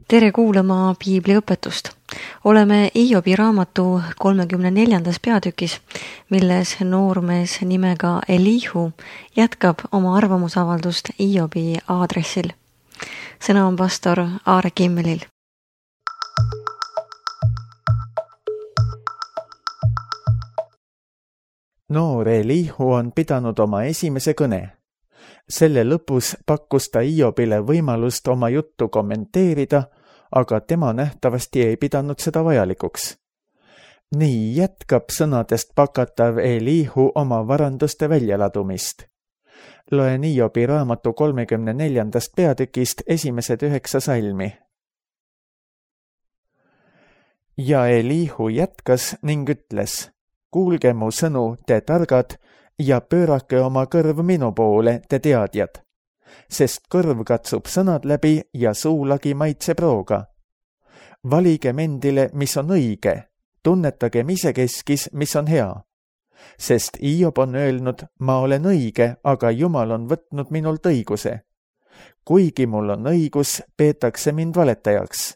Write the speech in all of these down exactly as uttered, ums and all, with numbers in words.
Tere kuulama piibliõpetust. Oleme Iobi raamatu kolmekümne neljandas peatükis, milles noormees nimega Elihu jätkab oma arvamusavaldust Iobi aadressil. Sõna on pastor Aare Kimmelil. Noor Elihu on pidanud oma esimese kõne. Selle lõpus pakkus ta Iobile võimalust oma juttu kommenteerida, aga tema nähtavasti ei pidanud seda vajalikuks. Nii jätkab sõnadest pakatav Elihu oma varanduste väljaladumist. Loen Iobi raamatu kolmekümne neljandast peatükist esimesed üheksa salmi. Ja Elihu jätkas ning ütles: Kuulge mu sõnu, te targad, ja pöörake oma kõrv minu poole, te teadjad, sest kõrv katsub sõnad läbi ja suulagi maitseb rooga. Valigem endile, mis on õige, tunnetagem isekeskis, mis on hea. Sest Iob on öelnud, ma olen õige, aga Jumal on võtnud minult õiguse. Kuigi mul on õigus, peetakse mind valetajaks.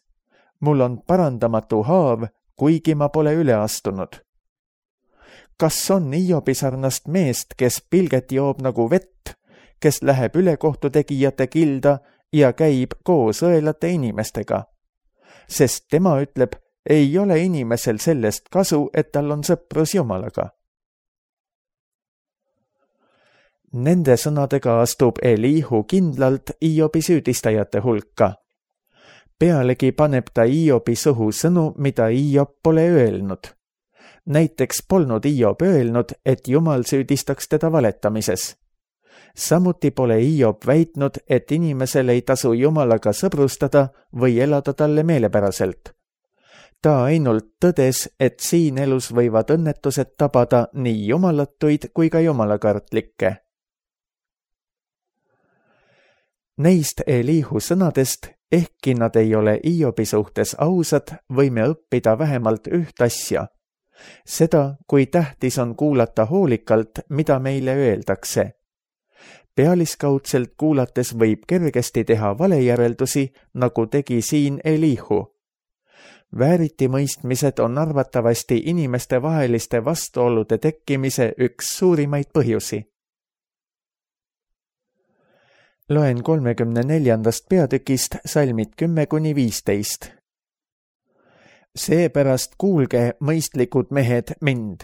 Mul on parandamatu haav, kuigi ma pole üle astunud. Kas on Iobi sarnast meest, kes pilget joob nagu vett, kes läheb ülekohtutegijate kilda ja käib koos õelate inimestega? Sest tema ütleb, ei ole inimesel sellest kasu, et tal on sõprus Jumalaga. Nende sõnadega astub Elihu kindlalt Iobi süüdistajate hulka. Pealegi paneb ta Iobi suhu sõnu, mida Iob pole öelnud. Näiteks polnud Iob öelnud, et Jumal süüdistaks teda valetamises. Samuti pole Iob väitnud, et inimesel ei tasu Jumalaga sõbrustada või elada talle meelepäraselt. Ta ainult tõdes, et siin elus võivad õnnetused tabada nii jumalatuid kui ka jumalakartlikke. Neist Elihu sõnadest, ehkki nad ei ole Iobi suhtes ausad, võime õppida vähemalt üht asja. Seda, kui tähtis on kuulata hoolikalt, mida meile öeldakse. Pealiskaudselt kuulates võib kergesti teha valejäreldusi, nagu tegi siin Elihu. Vääritimõistmised on arvatavasti inimeste vaheliste vastuolude tekkimise üks suurimaid põhjusi. Loen kolmekümne neljandast peatükist salmid kümme kuni viisteist. Seepärast kuulge, mõistlikud mehed, mind.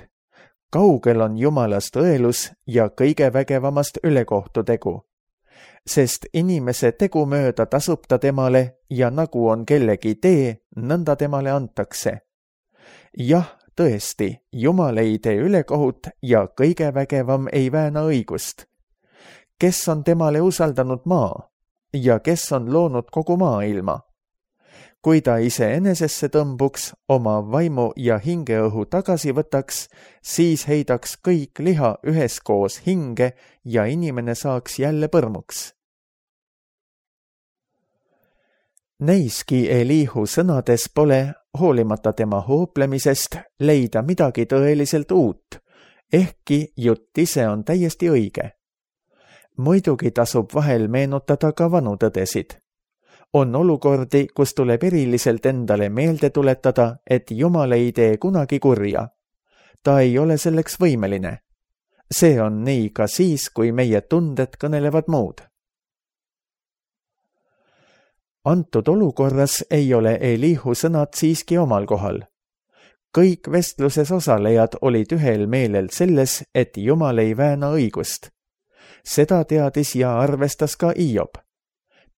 Kaugel on Jumalast õelus ja kõige vägevamast ülekohtutegu. Sest inimese tegu mööda tasub ta temale ja nagu on kellegi tee, nõnda temale antakse. Jah, tõesti, Jumal ei tee ülekohut ja kõige vägevam ei vääna õigust. Kes on temale usaldanud maa ja kes on loonud kogu maailma? Kui ta ise enesesse tõmbuks, oma vaimu ja hingeõhu tagasi võtaks, siis heidaks kõik liha üheskoos hinge ja inimene saaks jälle põrmuks. Neiski Elihu sõnades pole, hoolimata tema hooplemisest, leida midagi tõeliselt uut, ehkki jutt ise on täiesti õige. Muidugi tasub vahel meenutada ka vanu tõdesid. On olukordi, kus tuleb eriliselt endale meelde tuletada, et Jumal ei tee kunagi kurja. Ta ei ole selleks võimeline. See on nii ka siis, kui meie tunded kõnelevad muud. Antud olukorras ei ole Elihu sõnad siiski omal kohal. Kõik vestluses osalejad olid ühel meelel selles, et Jumal ei vääna õigust. Seda teadis ja arvestas ka Iob.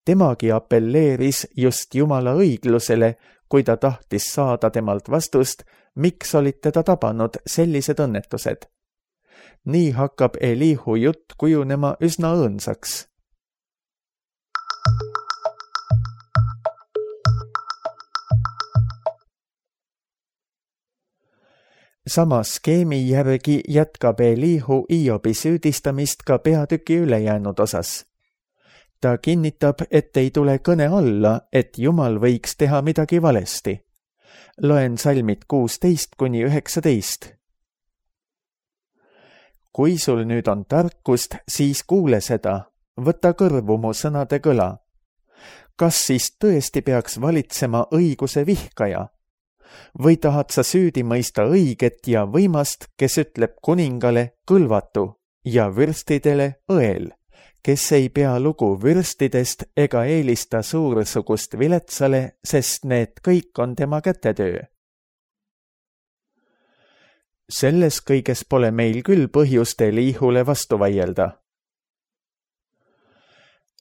Temagi appelleeris just Jumala õiglusele, kui ta tahtis saada temalt vastust, miks olid teda tabanud sellised õnnetused. Nii hakkab Elihu jutt kujunema üsna õõnsaks. Sama skeemi järgi jätkab Elihu Iobi süüdistamist ka peatüki ülejäänud osas. Ta kinnitab, et ei tule kõne alla, et Jumal võiks teha midagi valesti. Loen salmid kuusteist kuni üheksateist. Kui sul nüüd on tarkust, siis kuule seda, võta kõrvu mu sõnade kõla. kas siis tõesti peaks valitsema õiguse vihkaja? Või tahad sa süüdi mõista õiget ja võimast, kes ütleb kuningale kõlvatu ja vürstidele õel, kes ei pea lugu vürstidest ega eelista suursugust viletsale, sest need kõik on tema kätetöö? Selles kõiges pole meil küll põhjust Eliihule vastu vaielda.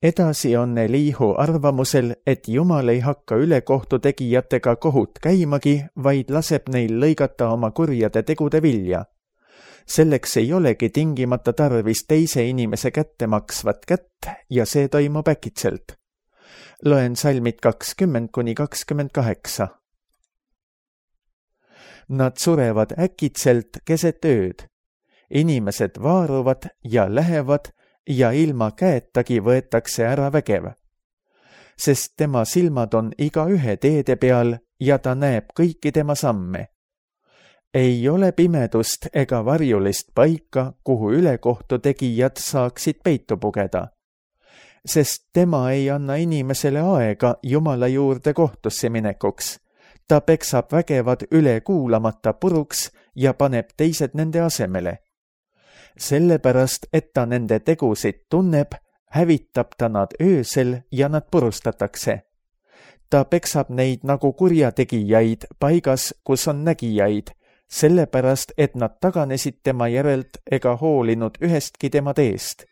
Edasi on Eliihu arvamusel, et Jumal ei hakka ülekohtu tegijatega kohut käimagi, vaid laseb neil lõigata oma kurjade tegude vilja. Selleks ei olegi tingimata tarvis teise inimese kätte maksvat kätt ja see toimub äkitselt. Loen salmid kakskümmend kuni kakskümmend kaheksa. Nad surevad äkitselt keset ööd. Inimesed vaaruvad ja lähevad ja ilma käetagi võetakse ära vägev. Sest tema silmad on iga ühe teede peal ja ta näeb kõiki tema samme. Ei ole pimedust ega varjulist paika, kuhu ülekohtu tegijad saaksid peitu pugeda. Sest tema ei anna inimesele aega Jumala juurde kohtusse minekuks. Ta peksab vägevad üle kuulamata puruks ja paneb teised nende asemele. Sellepärast, et ta nende tegusid tunneb, hävitab ta nad öösel ja nad purustatakse. Ta peksab neid nagu kurjategijaid paigas, kus on nägijaid, sellepärast, et nad taganesid tema järelt ega hoolinud ühestki tema teest.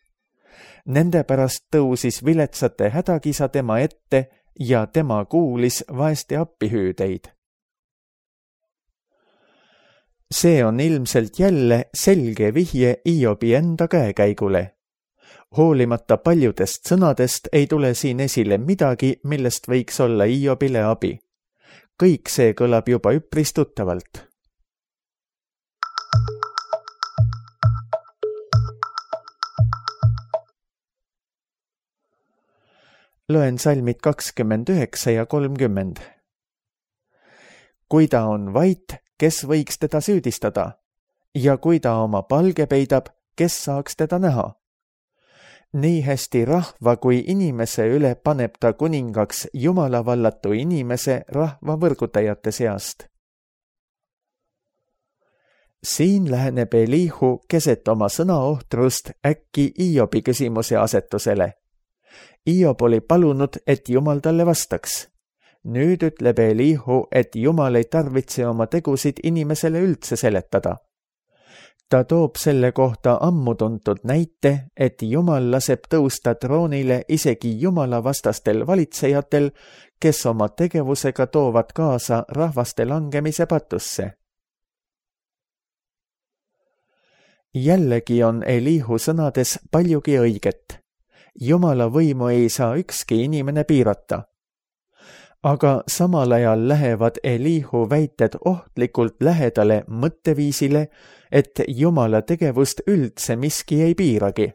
Nende pärast tõusis viletsate hädakisa tema ette ja tema kuulis vaeste appihüüdeid. See on ilmselt jälle selge vihje Hiobi enda käekäigule. Hoolimata paljudest sõnadest ei tule siin esile midagi, millest võiks olla Hiobile abi. Kõik see kõlab juba üpris tuttavalt. Loen salmid kakskümmend üheksa ja kolmkümmend. Kui ta on vait, kes võiks teda süüdistada? Ja kui ta oma palge peidab, kes saaks teda näha? Nii hästi rahva kui inimese üle paneb ta kuningaks Jumala vallatu inimese rahva võrgutajate seast. Siin läheneb Eliihu keset oma sõnaohtrust äkki Hiobi küsimuse asetusele. Hiob oli palunud, et Jumal talle vastaks. Nüüd ütleb Eliihu, et Jumal ei tarvitse oma tegusid inimesele üldse seletada. Ta toob selle kohta ammu tuntud näite, et Jumal laseb tõusta troonile isegi Jumala vastastel valitsejatel, kes oma tegevusega toovad kaasa rahvaste langemise patusse. Jällegi on Eliihu sõnades paljugi õiget. Jumala võimu ei saa ükski inimene piirata. Aga samal ajal lähevad Eliihu väited ohtlikult lähedale mõtteviisile, et Jumala tegevust üldse miski ei piiragi.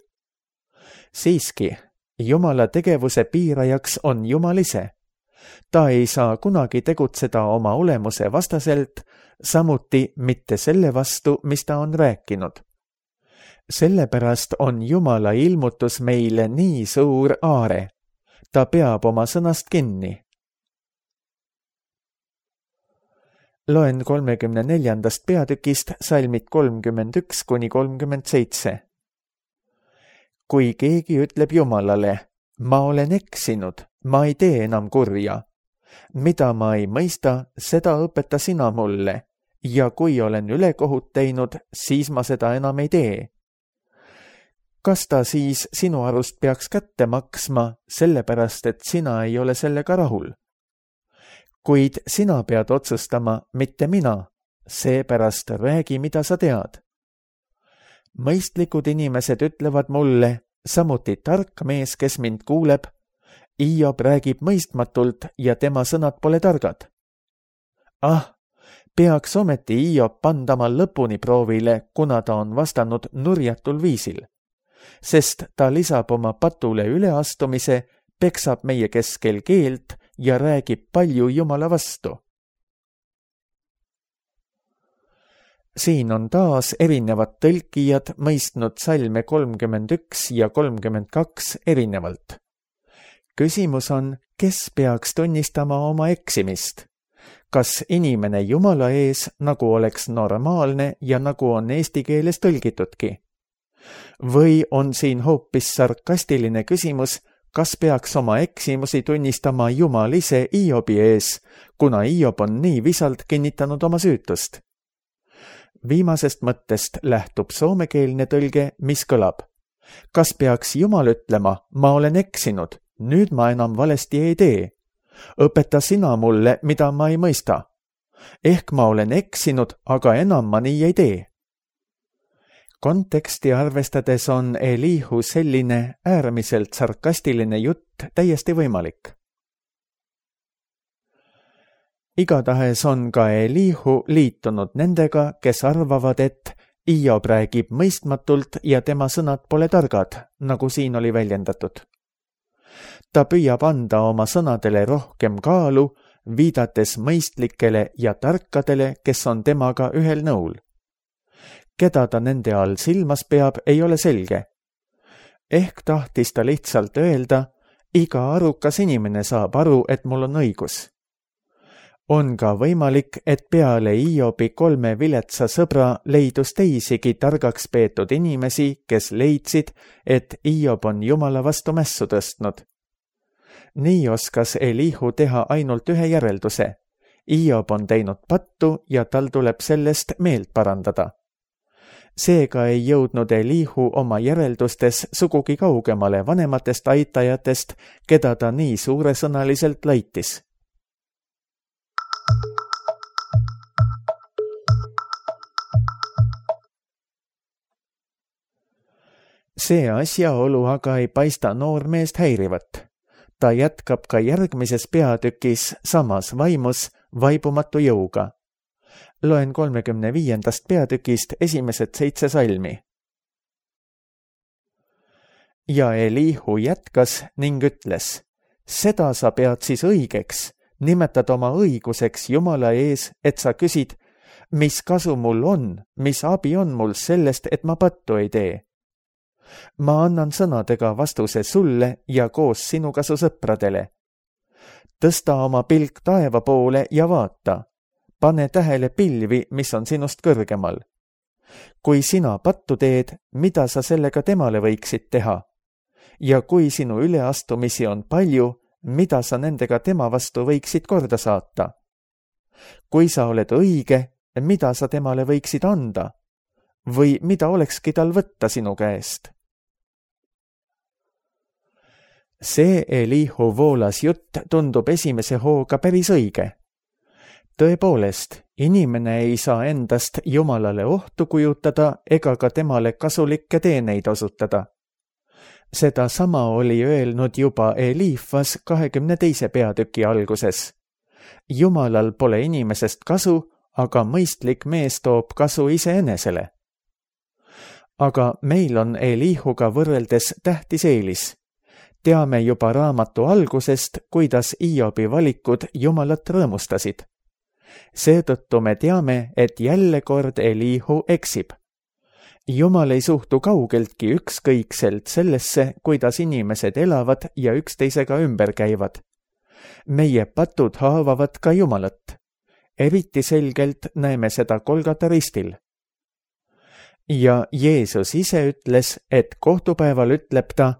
Siiski, Jumala tegevuse piirajaks on Jumal ise. Ta ei saa kunagi tegutseda oma olemuse vastaselt, samuti mitte selle vastu, mis ta on rääkinud. Sellepärast on Jumala ilmutus meile nii suur aare. Ta peab oma sõnast kinni. Loen kolmekümne neljandast peatükist salmid kolmkümmend üks kuni kolmkümmend seitse. Kui keegi ütleb Jumalale, ma olen eksinud, ma ei tee enam kurja. Mida ma ei mõista, seda õpeta sina mulle, ja kui olen ülekohut teinud, siis ma seda enam ei tee. Kas ta siis sinu arust peaks kätte maksma, sellepärast et sina ei ole sellega rahul? Kuid sina pead otsustama, mitte mina, seepärast räägi, mida sa tead. Mõistlikud inimesed ütlevad mulle, samuti tark mees, kes mind kuuleb, Hiob räägib mõistmatult ja tema sõnad pole targad. Ah, peaks ometi Hiob pandama lõpuni proovile, kuna ta on vastanud nurjatul viisil, sest ta lisab oma patule üleastumise, peksab meie keskel keelt ja räägib palju Jumala vastu. Siin on taas erinevad tõlkijad mõistnud salme kolmkümmend üks ja kolmkümmend kaks erinevalt. küsimus on, kes peaks tunnistama oma eksimist? Kas inimene Jumala ees, nagu oleks normaalne ja nagu on eesti keeles tõlgitudki? Või on siin hoopis sarkastiline küsimus, kas peaks oma eksimusi tunnistama Jumal ise Iobi ees, kuna Iob on nii visalt kinnitanud oma süütust? Viimasest mõttest lähtub soomekeelne tõlge, mis kõlab. Kas peaks Jumal ütlema, ma olen eksinud, nüüd ma enam valesti ei tee. Õpeta sina mulle, mida ma ei mõista. Ehk ma olen eksinud, aga enam ma nii ei tee. Konteksti arvestades on Elihu selline äärmiselt sarkastiline jutt täiesti võimalik. Igatahes on ka Elihu liitunud nendega, kes arvavad, et Iob räägib mõistmatult ja tema sõnad pole targad, nagu siin oli väljendatud. Ta püüab anda oma sõnadele rohkem kaalu, viidates mõistlikele ja tarkadele, kes on temaga ühel nõul. Keda ta nende all silmas peab, ei ole selge. Ehk tahtis ta lihtsalt öelda, iga arukas inimene saab aru, et mul on õigus. On ka võimalik, et peale Iobi kolme viletsa sõbra leidus teisigi targaks peetud inimesi, kes leidsid, et Iob on Jumala vastu mässu tõstnud. Nii oskas Elihu teha ainult ühe järelduse. Iob on teinud pattu ja tal tuleb sellest meelt parandada. Seega ei jõudnud Elihu oma järeldustes sugugi kaugemale vanematest aitajatest, keda ta nii suuresõnaliselt laitis. See asjaolu aga ei paista noormeest häirivat. Ta jätkab ka järgmises peatükis samas vaimus vaibumatu jõuga. Loen kolmekümne viiendast peatükist esimesed seitse salmi. Ja Elihu jätkas ning ütles, seda sa pead siis õigeks, nimetad oma õiguseks Jumala ees, et sa küsid, mis kasu mul on, mis abi on mul sellest, et ma pattu ei tee. Ma annan sõnadega vastuse sulle ja koos sinuga su sõpradele. Tõsta oma pilk taeva poole ja vaata. Pane tähele pilvi, mis on sinust kõrgemal. Kui sina pattu teed, mida sa sellega temale võiksid teha? Ja kui sinu üleastumisi on palju, mida sa nendega tema vastu võiksid korda saata? Kui sa oled õige, mida sa temale võiksid anda? Või mida olekski tal võtta sinu käest? See Elihu voolas jutt tundub esimese hooga päris õige. Tõepoolest, inimene ei saa endast Jumalale ohtu kujutada ega ka temale kasulikke teeneid osutada. Seda sama oli öelnud juba Eliifas kahekümne teise peatüki alguses. Jumalal pole inimesest kasu, aga mõistlik mees toob kasu iseenesele. Aga meil on Elihuga võrreldes tähtis eelis. Teame juba raamatu algusest, kuidas Iobi valikud Jumalat rõõmustasid. Seetõttu me teame, et jälle kord Elihu eksib. Jumal ei suhtu kaugeltki ükskõikselt sellesse, kuidas inimesed elavad ja üksteisega ümber käivad. Meie patud haavavad ka Jumalat. Eriti selgelt näeme seda Golgata ristil. Ja Jeesus ise ütles, et kohtupäeval ütleb ta,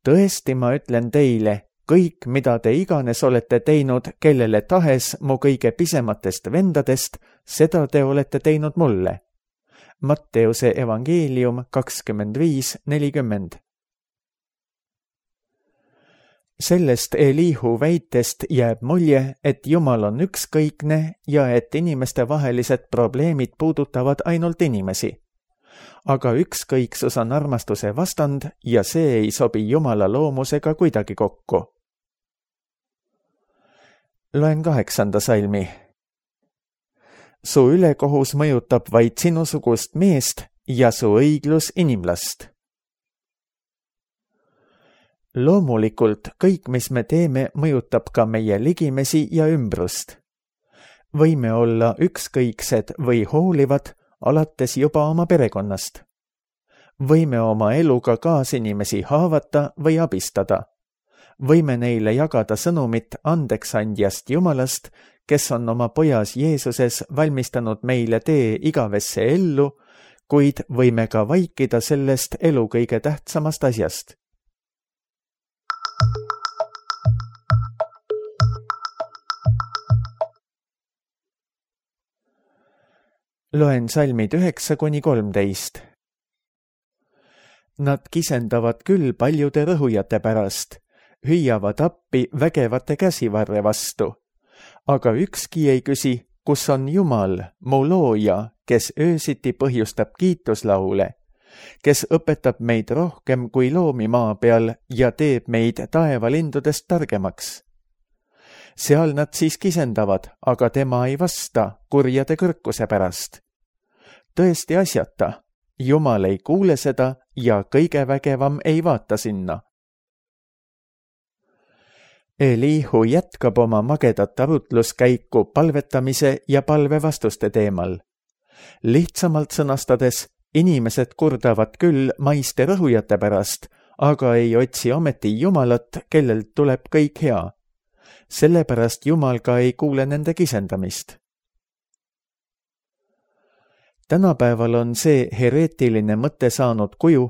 tõesti ma ütlen teile, kõik, mida te iganes olete teinud, kellele tahes mu kõige pisematest vendadest, seda te olete teinud mulle. Matteuse evangeelium kakskümmend viis nelikümmend. Sellest Elihu väitest jääb mulje, et Jumal on ükskõikne ja et inimeste vahelised probleemid puudutavad ainult inimesi. Aga ükskõiksus on armastuse vastand ja see ei sobi Jumala loomusega kuidagi kokku. Loen kaheksanda salmi. Su ülekohus mõjutab vaid sinusugust meest ja su õiglus inimlast. Loomulikult kõik, mis me teeme, mõjutab ka meie ligimesi ja ümbrust. Võime olla ükskõiksed või hoolivad, alates juba oma perekonnast. Võime oma eluga kaasinimesi haavata või abistada. võime neile jagada sõnumit andeksandjast Jumalast, kes on oma pojas Jeesuses valmistanud meile tee igavesse ellu, kuid võime ka vaikida sellest elu kõige tähtsamast asjast. Loen salmid üheksa kuni kolmteist. Nad kisendavad küll paljude rõhujate pärast, hüüavad appi vägevate käsivarre vastu, aga ükski ei küsi, kus on Jumal, mu looja, kes öösiti põhjustab kiituslaule, kes õpetab meid rohkem kui loomi maa peal ja teeb meid taevalindudest targemaks. Seal nad siis kisendavad, aga tema ei vasta kurjade kõrkuse pärast. Tõesti asjata, Jumal ei kuule seda ja kõige vägevam ei vaata sinna. Elihu jätkab oma magedat arutluskäiku palvetamise ja palvevastuste teemal. Lihtsamalt sõnastades, inimesed kurdavad küll maiste rõhujate pärast, aga ei otsi ometi Jumalat, kellelt tuleb kõik hea. Sellepärast Jumal ka ei kuule nende kisendamist. Tänapäeval on see hereetiline mõte saanud kuju,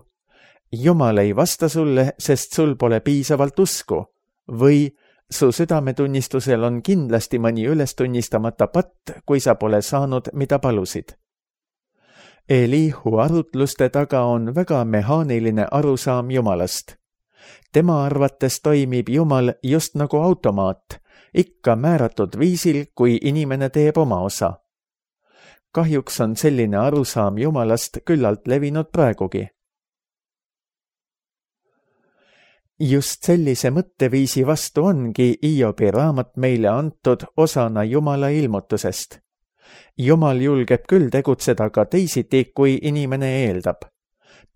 Jumal ei vasta sulle, sest sul pole piisavalt usku, või su südametunnistusel on kindlasti mõni ülestunnistamata patt, kui sa pole saanud, mida palusid. Elihu arutluste taga on väga mehaaniline arusaam Jumalast. Tema arvates toimib Jumal just nagu automaat, ikka määratud viisil, kui inimene teeb oma osa. Kahjuks on selline arusaam Jumalast küllalt levinud praegugi. Just sellise mõtteviisi vastu ongi Hiobi raamat meile antud osana Jumala ilmutusest. Jumal julgeb küll tegutseda ka teisiti, kui inimene eeldab.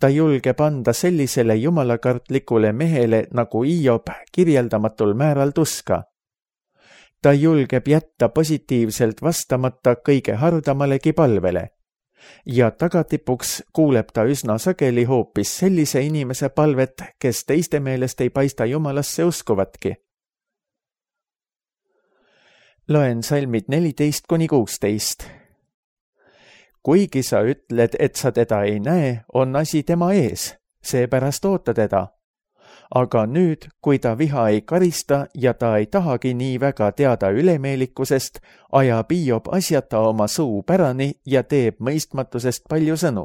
Ta julgeb anda sellisele jumalakartlikule mehele nagu Hiob kirjeldamatul määral tuska. Ta julgeb jätta positiivselt vastamata kõige hardamalegi palvele ja tagatipuks kuuleb ta üsna sageli hoopis sellise inimese palvet, kes teiste meelest ei paista Jumalasse uskuvatki. Loen salmid neliteist kuni kuusteist. Kuigi sa ütled, et sa teda ei näe, on asi tema ees, seepärast oota teda. Aga nüüd, kui ta viha ei karista ja ta ei tahagi nii väga teada ülemeelikusest, ajab Hiob asjata oma suu pärani ja teeb mõistmatusest palju sõnu.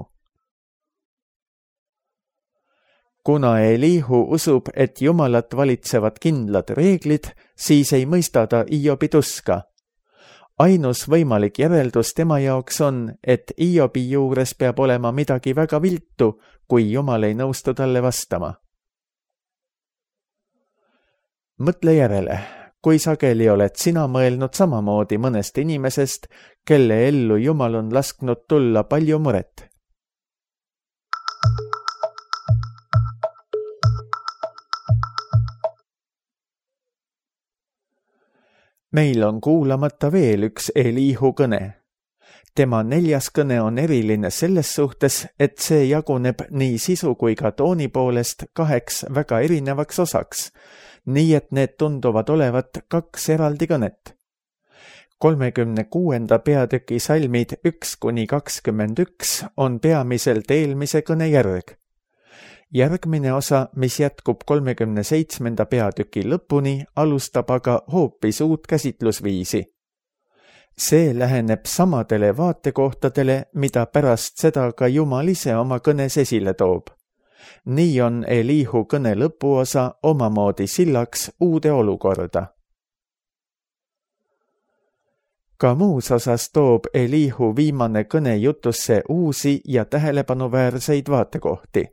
Kuna Elihu usub, et Jumalat valitsevad kindlad reeglid, siis ei mõista ta Hiobi tuska. Ainus võimalik järeldus tema jaoks on, et Hiobi juures peab olema midagi väga viltu, kui Jumal ei nõustu talle vastama. Mõtle järele, kui sageli oled sina mõelnud samamoodi mõnest inimesest, kelle ellu Jumal on lasknud tulla palju muret. Meil on kuulamata veel üks Elihu kõne. Tema neljas kõne on eriline selles suhtes, et see jaguneb nii sisu kui ka tooni poolest kaheks väga erinevaks osaks, nii et need tunduvad olevat kaks eraldi kõnet. kolmekümne kuuenda peatüki salmid üks kuni kakskümmend üks on peamiselt eelmise kõne järg. Järgmine osa, mis jätkub kolmekümne seitsmenda peatüki lõpuni, alustab aga hoopis uut käsitlusviisi. See läheneb samadele vaatekohtadele, mida pärast seda ka Jumal ise oma kõnes esile toob. Nii on Elihu kõne lõpuosa omamoodi sillaks uude olukorda. Ka muus osas toob Elihu viimane kõne jutusse uusi ja tähelepanuväärseid vaatekohti.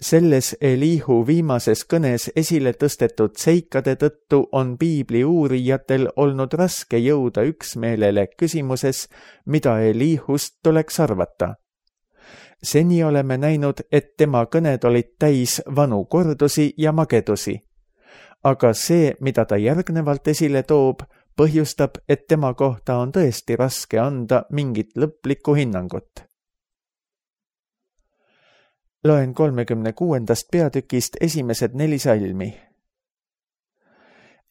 Selles Elihu viimases kõnes esile tõstetud seikade tõttu on piibli uurijatel olnud raske jõuda üksmeelele küsimuses, mida Elihust tuleks arvata. Seni oleme näinud, et tema kõned olid täis vanu kordusi ja magedusi. Aga see, mida ta järgnevalt esile toob, põhjustab, et tema kohta on tõesti raske anda mingit lõplikku hinnangut. Loen kolmekümne kuuendast peatükist esimesed neli salmi.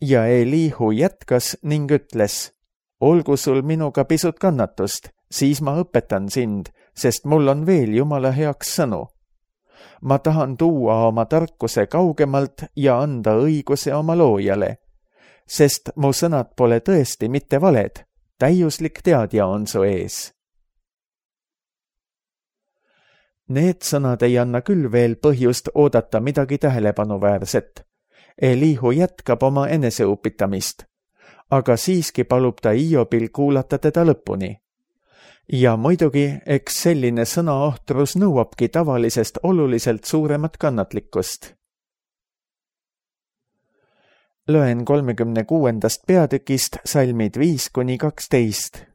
ja Elihu jätkas ning ütles, olgu sul minuga pisut kannatust, siis ma õpetan sind, sest mul on veel Jumala heaks sõnu. Ma tahan tuua oma tarkuse kaugemalt ja anda õiguse oma loojale, sest mu sõnad pole tõesti mitte valed, täiuslik teadja on su ees. Need sõnad ei anna küll veel põhjust oodata midagi tähelepanuväärset. Elihu jätkab oma eneseupitamist, aga siiski palub ta Hiobil kuulata teda lõpuni. Ja muidugi, eks selline sõnaohtrus nõuabki tavalisest oluliselt suuremat kannatlikkust. Loen kolmekümne kuuendast peatükist salmid viis kuni kaksteist.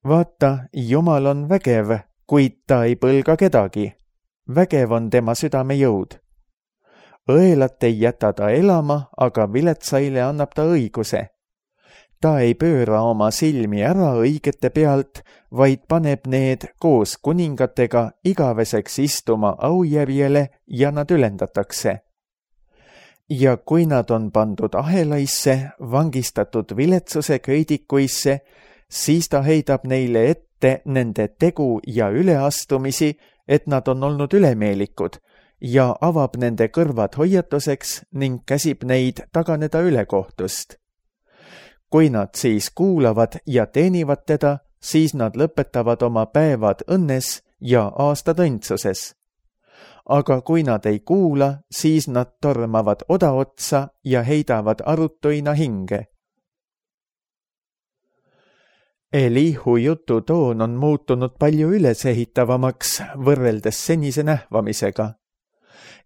Vaata, Jumal on vägev, kuid ta ei põlga kedagi. Vägev on tema südame jõud. Õelat ei jäta ta elama, aga viletsaile annab ta õiguse. Ta ei pööra oma silmi ära õigete pealt, vaid paneb need koos kuningatega igaveseks istuma aujärjele ja nad ülendatakse. Ja kui nad on pandud ahelaisse, vangistatud viletsuse köidikuisse, siis ta heidab neile ette nende tegu ja üleastumisi, et nad on olnud ülemeelikud, ja avab nende kõrvad hoiatuseks ning käsib neid taganeda ülekohtust. Kui nad siis kuulavad ja teenivad teda, siis nad lõpetavad oma päevad õnnes ja aastad õndsuses. Aga kui nad ei kuula, siis nad tormavad odaotsa ja heidavad arutuina hinge. Elihu jutu toon on muutunud palju ülesehitavamaks võrreldes senise nähvamisega.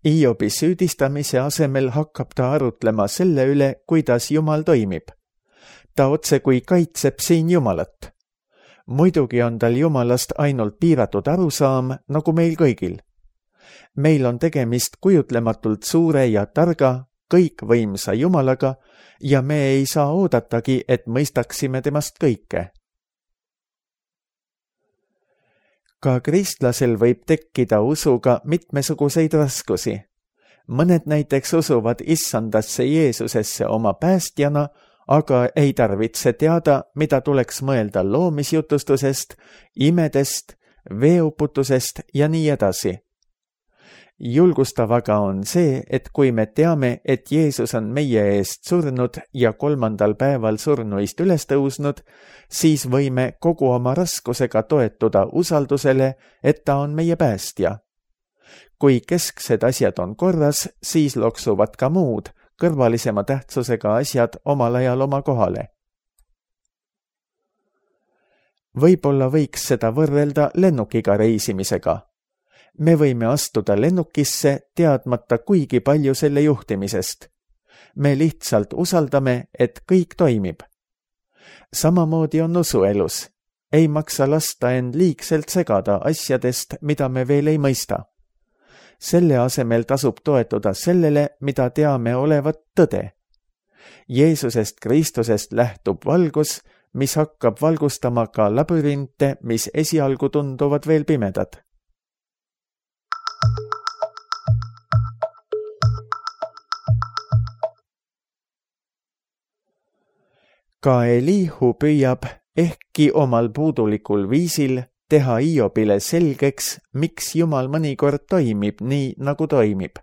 Hiobi süüdistamise asemel hakkab ta arutlema selle üle, kuidas Jumal toimib. Ta otse kui kaitseb siin Jumalat. Muidugi on tal Jumalast ainult piiratud arusaam, nagu meil kõigil. Meil on tegemist kujutlematult suure ja targa, kõikvõimsa Jumalaga ja me ei saa oodatagi, et mõistaksime temast kõike. Ka kristlasel võib tekkida usuga mitmesuguseid raskusi. Mõned näiteks usuvad issandasse Jeesusesse oma päästjana, aga ei tarvitse teada, mida tuleks mõelda loomisjutustusest, imedest, veeuputusest ja nii edasi. Julgustav aga on see, et kui me teame, et Jeesus on meie eest surnud ja kolmandal päeval surnuist üles tõusnud, siis võime kogu oma raskusega toetuda usaldusele, et ta on meie päästja. Kui kesksed asjad on korras, siis loksuvad ka muud, kõrvalisema tähtsusega asjad omal ajal oma kohale. Võib-olla võiks seda võrrelda lennukiga reisimisega. Me võime astuda lennukisse teadmata kuigi palju selle juhtimisest. Me lihtsalt usaldame, et kõik toimib. Samamoodi on usuelus. Ei maksa lasta end liigselt segada asjadest, mida me veel ei mõista. Selle asemel tasub toetuda sellele, mida teame olevat tõde. Jeesusest Kristusest lähtub valgus, mis hakkab valgustama ka labürinte, mis esialgu tunduvad veel pimedad. Ka Elihu püüab ehkki omal puudulikul viisil teha Hiobile selgeks, miks Jumal mõnikord toimib nii, nagu toimib.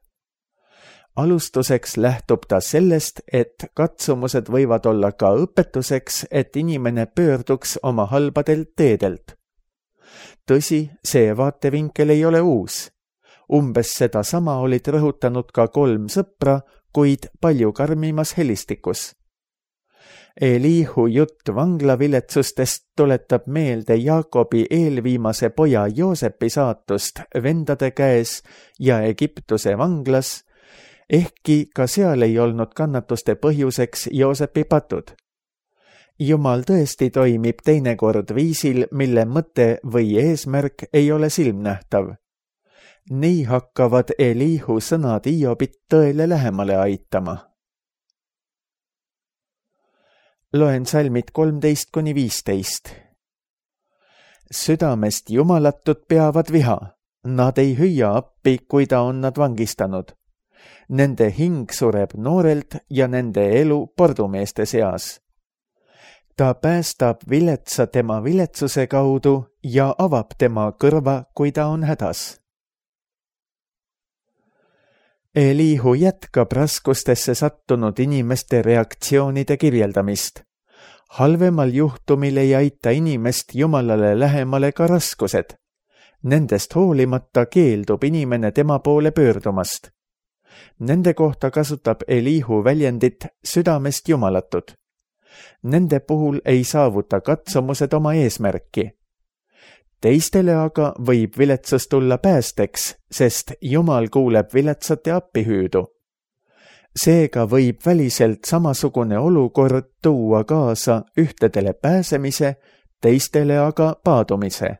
Alustuseks lähtub ta sellest, et katsumused võivad olla ka õpetuseks, et inimene pöörduks oma halbadelt teedelt. Tõsi, see vaatevinkel ei ole uus. Umbes seda sama olid rõhutanud ka kolm sõpra, kuid palju karmimas helistikus. Elihu jutt vanglaviletsustest tuletab meelde Jaakobi eelviimase poja Joosepi saatust vendade käes ja Egiptuse vanglas, ehkki ka seal ei olnud kannatuste põhjuseks Joosepi patud. Jumal tõesti toimib teinekord viisil, mille mõte või eesmärk ei ole silmnähtav. Nii hakkavad Elihu sõnad Hiobit tõele lähemale aitama. Loen salmid kolmteist kuni viisteist. Südamest jumalatud peavad viha. Nad ei hüüa appi, kui ta on nad vangistanud. Nende hing sureb noorelt ja nende elu pordumeeste seas. Ta päästab viletsa tema viletsuse kaudu ja avab tema kõrva, kui ta on hädas. Elihu jätkab raskustesse sattunud inimeste reaktsioonide kirjeldamist. Halvemal juhtumil ei aita inimest Jumalale lähemale ka raskused. Nendest hoolimata keeldub inimene tema poole pöördumast. Nende kohta kasutab Elihu väljendit südamest jumalatud. Nende puhul ei saavuta katsumused oma eesmärki. Teistele aga võib viletsus tulla päästeks, sest Jumal kuuleb viletsate appihüüdu. Seega võib väliselt samasugune olukord tuua kaasa ühtedele pääsemise, teistele aga paadumise.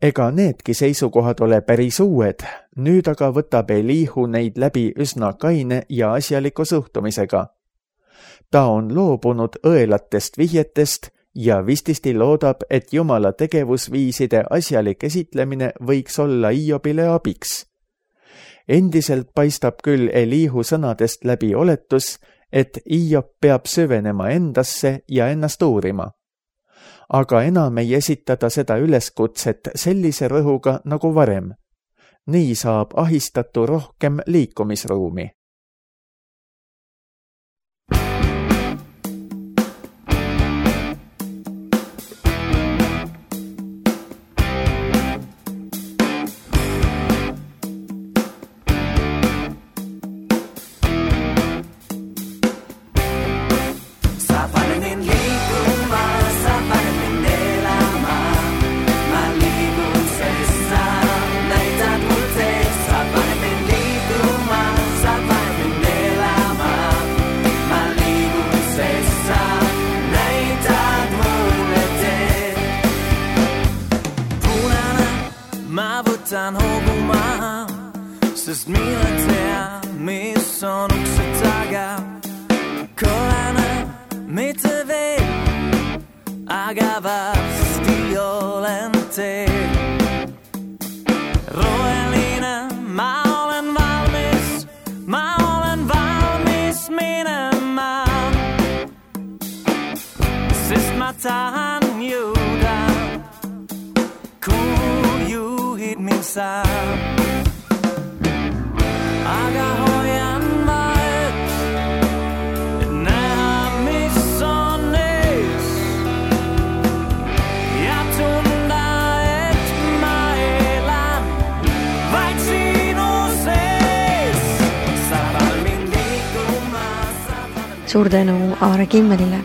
Ega needki seisukohad ole päris uued, nüüd aga võtab Elihu neid läbi üsna kaine ja asjaliku suhtumisega. Ta on loobunud õelatest vihjetest ja vististi loodab, et Jumala tegevusviiside asjalik esitlemine võiks olla Hiobile abiks. Endiselt paistab küll Elihu sõnadest läbi oletus, et Hiob peab süvenema endasse ja ennast uurima. Aga enam ei esitada seda üleskutset sellise rõhuga nagu varem. Nii saab ahistatu rohkem liikumisruumi. Võtan hobuma, sest mina tea, mis on ukse taga. Kolana mitte veel, aga varsti olen teel. Roheline, ma olen valmis, ma olen valmis minema, sest ma tahan jõuda, kuhu juhid mind saab. Aga hoian vahet, et näha, mis on ees, ja tunda, et ma elan vaid sinu sees. Sa paned mind liikuma. Suur tänu Aare Kimmelile.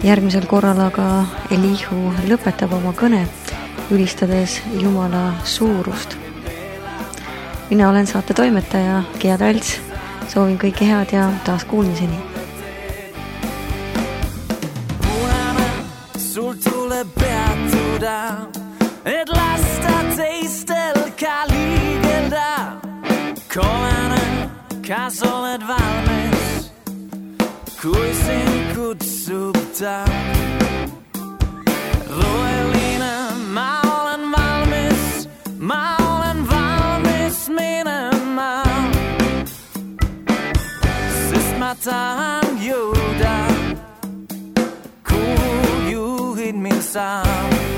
Järgmisel korral aga Elihu lõpetab oma kõne, ülistades Jumala suurust. Mina olen saate toimetaja Gea Talts. Soovin kõike head ja taas kuulmiseni. Punane, sul tuleb peatuda, et lasta teistel ka liigelda. Kollane, kas oled valmis, kui sind kutsub ta? Roheline, ma olen valmis, ma olen valmis minema, sest ma tahan jõuda, kuhu juhid mind saab.